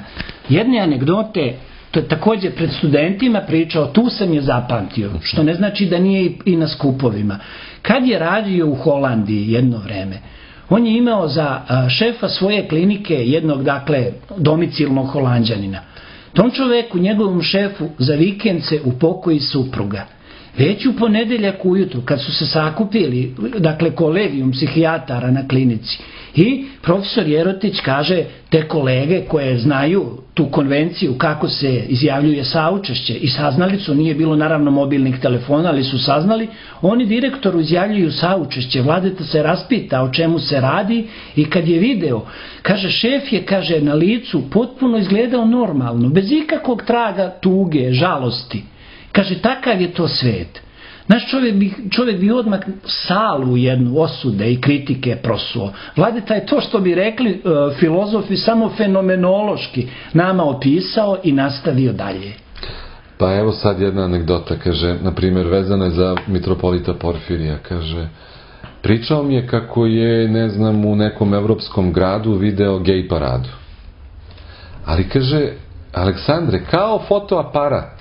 jedne anegdote, to je također pred studentima pričao, tu sam je zapamtio, što ne znači da nije i na skupovima. Kad je radio u Holandiji jedno vreme, on je imao za šefa svoje klinike jednog, dakle, domicilnog Holanđanina. Tom čoveku, njegovom šefu, za vikend se upokoji supruga. Već u ponedeljak ujutru, kad su se sakupili, dakle, kolegijum psihijatara na klinici, i profesor Jerotić kaže, te kolege koje znaju tu konvenciju kako se izjavljuje saučešće i saznali su, nije bilo naravno mobilnih telefona, ali su saznali, oni direktoru izjavljuju saučešće. Vladeta se raspita o čemu se radi i kad je video, kaže, šef je, kaže, na licu potpuno izgledao normalno, bez ikakvog traga tuge, žalosti. Kaže, takav je to svet. Naš čovjek bi odmah salu jednu osude i kritike prosuo. Vladeta je to što bi rekli filozofi samo fenomenološki nama opisao i nastavio dalje. Pa evo sad jedna anegdota, kaže, na primjer, vezana je za mitropolita Porfirija, kaže, pričao mi je kako je, ne znam, u nekom evropskom gradu video gej paradu. Ali kaže, Aleksandre, kao fotoaparat.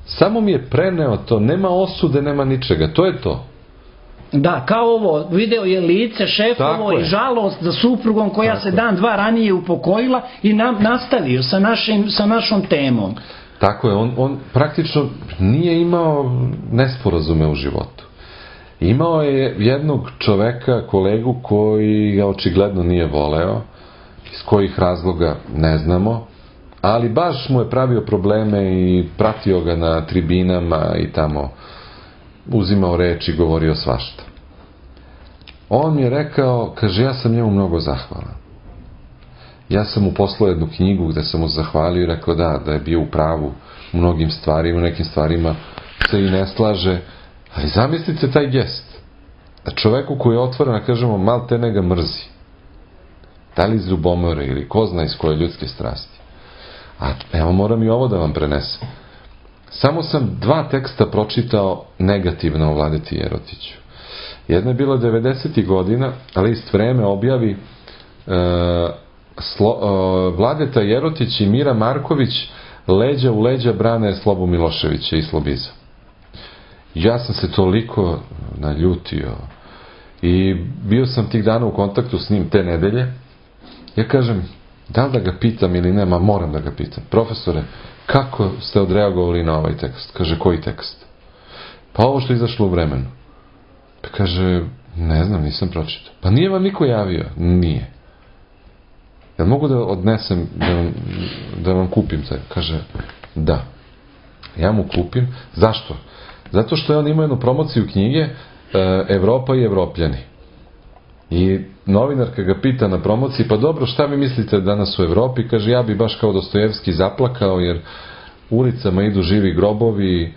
Samo mi je preneo to, nema osude, nema ničega, to je to. Da, kao ovo, video je lice šefovo i žalost za suprugom koja se dan, dva ranije upokojila i nastavio sa našom temom. Tako je, on praktično nije imao nesporazume u životu. Imao je jednog čoveka, kolegu, koji ga očigledno nije voleo, iz kojih razloga ne znamo, ali baš mu je pravio probleme i pratio ga na tribinama i tamo uzimao reč i govorio svašta. On mi je rekao, kaže, ja sam njemu mnogo zahvalan. Ja sam mu poslao jednu knjigu gde sam mu zahvalio i rekao da je bio u pravu u mnogim stvarima, u nekim stvarima se i ne slaže, ali zamislite taj gest. Da čoveku koji je otvoren, kažemo, maltene ga mrzi. Da li iz ljubomore ili ko zna iz koje ljudske strasti. A evo, moram i ovo da vam prenesem. Samo sam 2 teksta pročitao negativno o Vladeti Jerotiću. Jedna je bila 90. godina, list Vreme objavi Vladeta Jerotić i Mira Marković leđa u leđa brane Slobu Miloševića i Slobiza. Ja sam se toliko naljutio i bio sam tih dana u kontaktu s njim te nedelje. Ja kažem, da li da ga pitam ili nema, moram da ga pitam. Profesore, kako ste odreagovali na ovaj tekst? Kaže, koji tekst? Pa ovo što je izašlo u Vremenu. Pa kaže, ne znam, nisam pročitao. Pa nije vam niko javio? Nije. Jel mogu da odnesem, da vam kupim taj? Kaže, da. Ja mu kupim. Zašto? Zato što je on imao jednu promociju knjige Evropa i Evropljani. I novinarka ga pita na promociji, pa dobro, šta vi mislite danas u Evropi? Kaže, ja bi baš kao Dostojevski zaplakao, jer ulicama idu živi grobovi,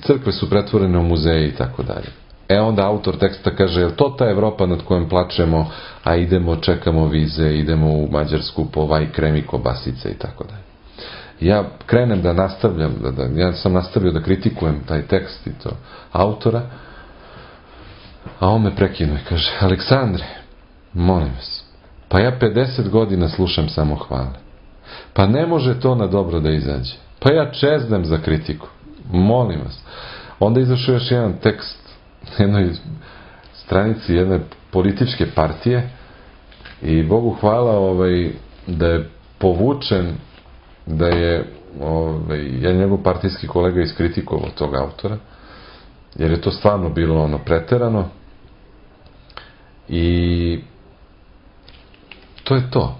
crkve su pretvorene u muzeje i tako dalje. Onda autor teksta kaže, je li to ta Evropa nad kojom plačemo, a idemo, čekamo vize, idemo u Mađarsku po vaj kremi kobasice i tako dalje. Ja krenem da nastavljam, ja sam nastavio da kritikujem taj tekst i to autora, a on me prekinuo i kaže, Aleksandre, molim vas, pa ja 50 godina slušam samo hvale. Pa ne može to na dobro da izađe. Pa ja čeznem za kritiku. Molim vas. Onda izašao još jedan tekst na jednoj stranici jedne političke partije i Bogu hvala da je povučen, da je jedan njegov partijski kolega iskritikovao tog autora, jer je to stvarno bilo preterano i to je to.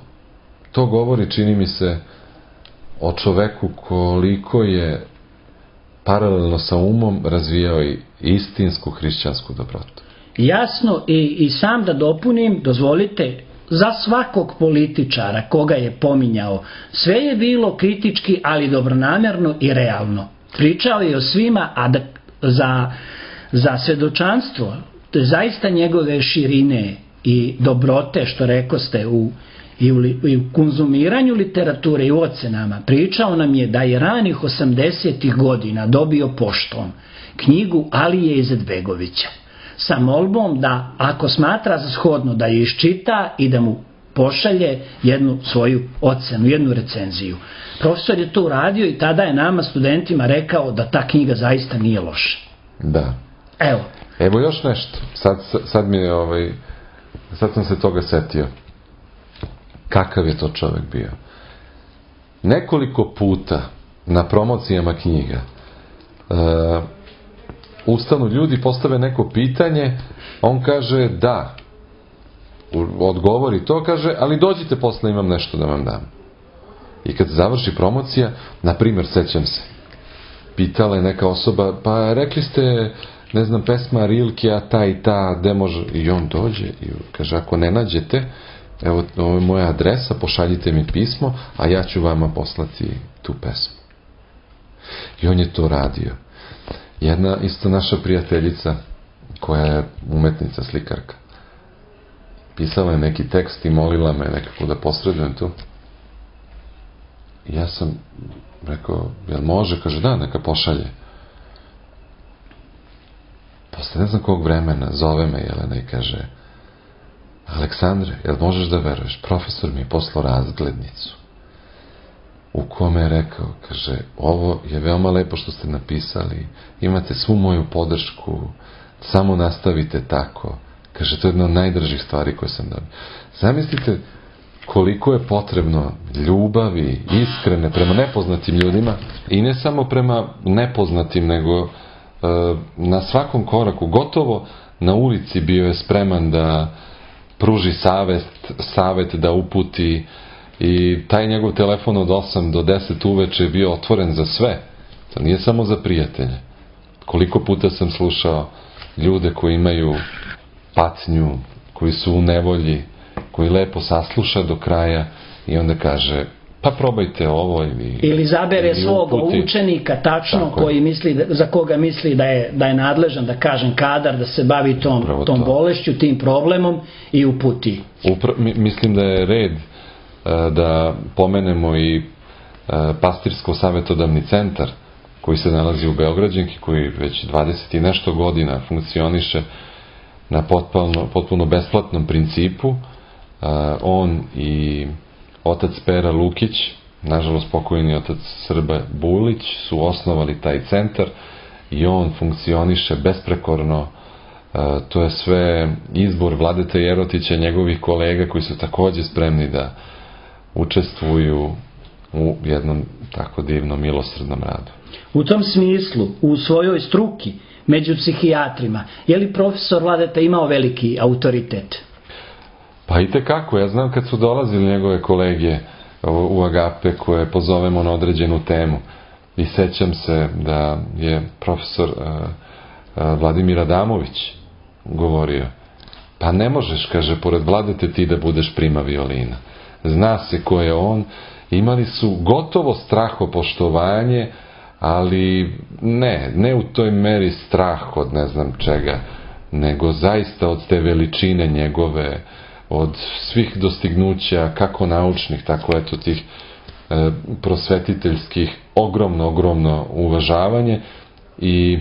To govori, čini mi se, o čoveku koliko je paralelno sa umom razvijao i istinsku hrišćansku dobrotu. Jasno, i sam da dopunim, dozvolite, za svakog političara koga je pominjao, sve je bilo kritički, ali dobronamerno i realno. Pričao je o svima, a za svedočanstvo, to je zaista njegove širine i dobrote, što rekoste, i u konzumiranju literature i u ocenama. Pričao nam je da je ranih 80. godina dobio poštom knjigu Alije Izetbegovića sa molbom da, ako smatra za shodno, da je iščita i da mu pošalje jednu svoju ocenu, jednu recenziju. Profesor je to uradio i tada je nama studentima rekao da ta knjiga zaista nije loša. Da. Evo još nešto. Sad mi je sad sam se toga setio. Kakav je to čovjek bio? Nekoliko puta na promocijama knjiga ustanu ljudi, postave neko pitanje, on kaže da, odgovori to, kaže, ali dođite posle, imam nešto da vam dam. I kad završi promocija, na primjer, sećam se, pitala je neka osoba, pa rekli ste, ne znam, pesma Rilke, a ta i ta, gde može, i on dođe i kaže, ako ne nađete, evo, ovo je moja adresa, pošaljite mi pismo, a ja ću vama poslati tu pesmu. I on je to radio. Jedna isto naša prijateljica, koja je umetnica, slikarka, pisala je neki tekst i molila me nekako da posredujem tu. I ja sam rekao, jel može? Kaže, da, neka pošalje. Posle ne znam kog vremena zove me Jelena i kaže, Aleksandre, jel možeš da veruješ? Profesor mi je poslao razglednicu u kome je rekao, kaže, ovo je veoma lepo što ste napisali, imate svu moju podršku, samo nastavite tako. Kaže, to je jedna od najdražih stvari koje sam dobio. Zamislite koliko je potrebno ljubavi, iskrene, prema nepoznatim ljudima, i ne samo prema nepoznatim, nego na svakom koraku, gotovo na ulici bio je spreman da pruži savet, da uputi, i taj njegov telefon od 8 do 10 uveče je bio otvoren za sve. To nije samo za prijatelje. Koliko puta sam slušao ljude koji imaju patnju, koji su u nevolji, koji lepo sasluša do kraja i onda kaže, pa probajte ovo ili zabere svog učenika tačno koji misli, za koga misli da je nadležan, da kažem, kadar da se bavi tom bolešću, tim problemom, i uputi. Mislim da je red da pomenemo i pastirsko-savetodavni centar koji se nalazi u Beograđanki, koji već 20 i nešto godina funkcioniše na potpuno besplatnom principu. On i otac Pera Lukić nažalost pokojni otac Srba Bulić su osnovali taj centar i on funkcioniše besprekorno. To je sve izbor Vladete Jerotića, njegovih kolega koji su takođe spremni da učestvuju u jednom tako divnom milosrdnom radu. U tom smislu, u svojoj struki, među psihijatrima, je li profesor Vladeta imao veliki autoritet? Pa i tekako, ja znam kad su dolazili njegove kolege u Agape koje pozovemo na određenu temu i sećam se da je profesor Vladimir Adamović govorio, pa ne možeš, kaže, pored Vladete ti da budeš prima violina. Zna se ko je on, imali su gotovo strahopoštovanje, ali ne u toj meri strah od ne znam čega, nego zaista od te veličine njegove, od svih dostignuća, kako naučnih, tako eto tih prosvetiteljskih, ogromno uvažavanje. I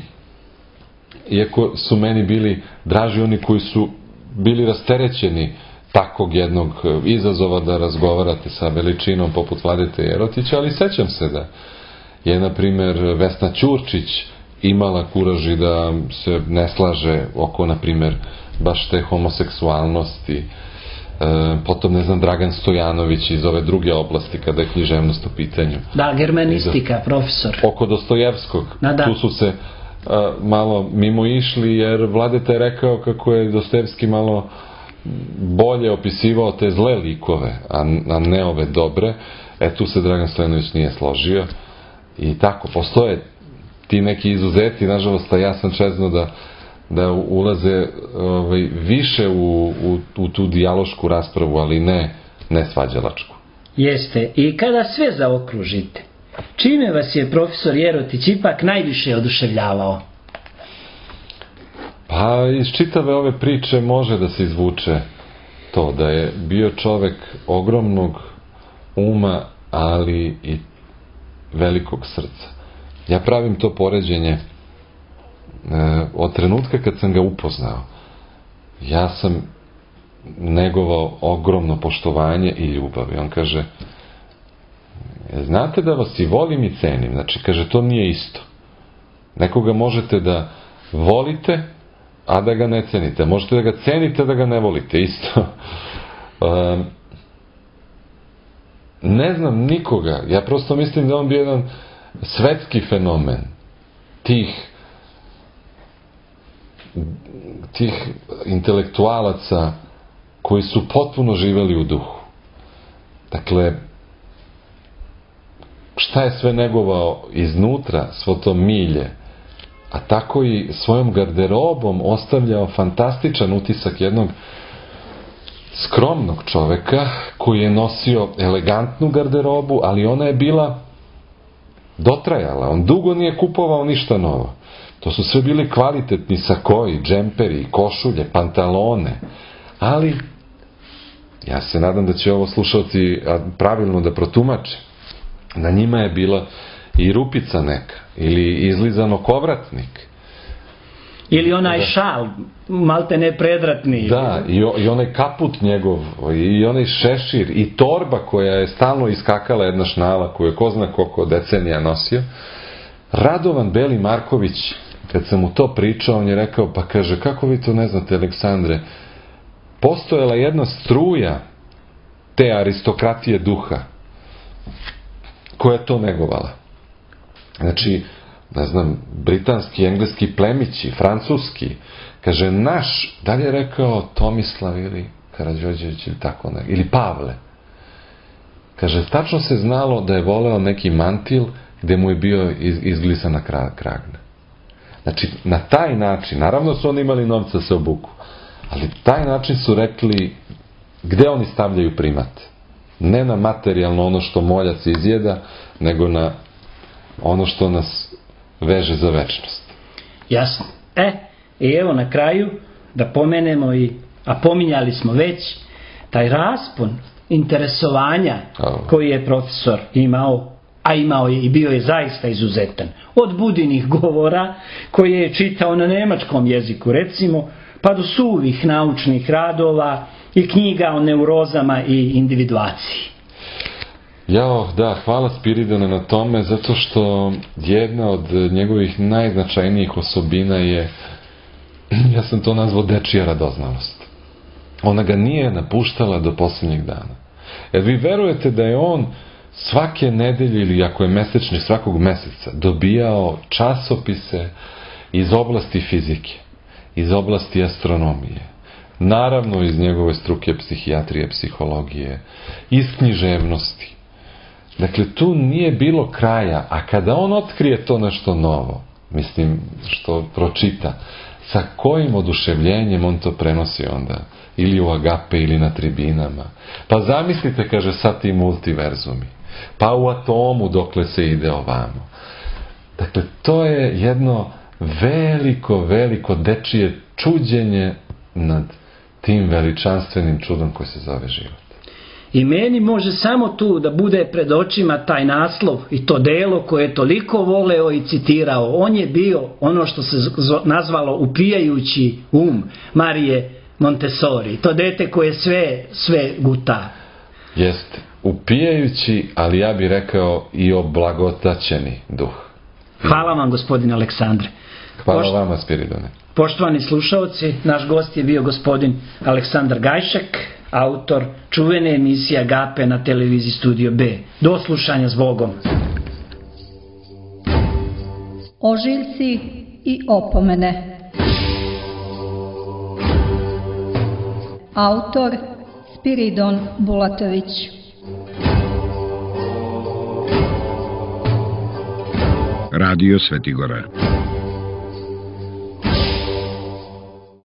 iako su meni bili draži oni koji su bili rasterećeni takvog jednog izazova da razgovarate sa veličinom poput Vladete Jerotića, ali sećam se da je, na primer, Vesna Ćurčić imala kuraži da se ne slaže oko, na primer, baš te homoseksualnosti. Potom, ne znam, Dragan Stojanović iz ove druge oblasti kada je književnost u pitanju. Da, germanistika, profesor. Oko Dostojevskog. Da. Tu su se malo mimo išli, jer Vladeta je rekao kako je Dostojevski malo bolje opisivao te zle likove, a ne ove dobre. Tu se Dragan Stojanović nije složio. I tako, postoje ti neki izuzeti, nažalost, a ja sam čezno da ulaze više u tu dijalošku raspravu, ali ne svađalačku. Jeste. I kada sve zaokružite, čime vas je profesor Jerotić ipak najviše oduševljavao? Pa iz čitave ove priče može da se izvuče to da je bio čovek ogromnog uma, ali i velikog srca. Ja pravim to poređenje od trenutka kad sam ga upoznao. Ja sam negovao ogromno poštovanje i ljubav. I on kaže, znate da vas i volim i cenim. Znači, kaže, to nije isto. Nekoga možete da volite, a da ga ne cenite. Možete da ga cenite, da ga ne volite. Isto. Ne znam nikoga. Ja prosto mislim da on bio jedan svetski fenomen tih intelektualaca koji su potpuno živeli u duhu. Dakle, šta je sve negovao iznutra, svo to milje, a tako i svojom garderobom ostavljao fantastičan utisak jednog skromnog čoveka koji je nosio elegantnu garderobu, ali ona je bila dotrajala. On dugo nije kupovao ništa novo. To su sve bili kvalitetni sakoji, džemperi, košulje, pantalone. Ali, ja se nadam da će ovo slušalci pravilno da protumače. Na njima je bila i rupica neka, ili izlizano kovratnik. Ili onaj šal, malte ne predratni. Da, i onaj kaput njegov, i onaj šešir, i torba koja je stalno iskakala, jedna šnala koju je ko zna koliko decenija nosio. Radovan Beli Marković, kad sam mu to pričao, on je rekao, pa kaže, kako vi to ne znate, Aleksandre, postojala jedna struja te aristokratije duha koja je to negovala. Znači, ne znam, britanski, engleski plemići, francuski, kaže, naš, da li je rekao Tomislav ili Karađorđević ili tako ne, ili Pavle, kaže, tačno se znalo da je voleo neki mantil gde mu je bio izglisana kragna. Znači, na taj način, naravno su oni imali novca da se obuku, ali taj način su rekli gde oni stavljaju primat. Ne na materijalno ono što moljac izjeda, nego na ono što nas veže za večnost. Jasno. I evo na kraju da pomenemo a pominjali smo već taj raspon interesovanja koji je profesor imao, a imao je i bio je zaista izuzetan. Od Budinih govora koje je čitao na nemačkom jeziku, recimo, pa do suvih naučnih radova i knjiga o neurozama i individuaciji. Jao, da, hvala Spiridone na tome, zato što jedna od njegovih najznačajnijih osobina je, ja sam to nazvao dečija radoznalost. Ona ga nije napuštala do posljednjeg dana. Jer vi verujete da je on svake nedelje ili ako je mesečni svakog meseca dobijao časopise iz oblasti fizike, iz oblasti astronomije, naravno iz njegove struke psihijatrije, psihologije, iz književnosti. Dakle, tu nije bilo kraja, a kada on otkrije to nešto novo, mislim, što pročita, sa kojim oduševljenjem on to prenosi onda, ili u Agape ili na tribinama. Pa zamislite, kaže, sad ti multiverzumi, pa u atomu dokle se ide ovamo. Dakle, to je jedno veliko dečije čuđenje nad tim veličanstvenim čudom koji se zove život. I meni može samo tu da bude pred očima taj naslov i to delo koje je toliko voleo i citirao. On je bio ono što se nazvalo upijajući um Marije Montessori. To dete koje sve guta. Jeste, upijajući, ali ja bih rekao i oblagotaćeni duh. Hvala vam, gospodine Aleksandre. Hvala vama, Spiridone. Poštovani slušaoci, naš gost je bio gospodin Aleksandar Gajšek, autor čuvene emisije Agape na televiziji Studio B. Do slušanja, s Bogom. Ožiljci i opomene. Autor Spiridon Bulatović. Radio Svetigora.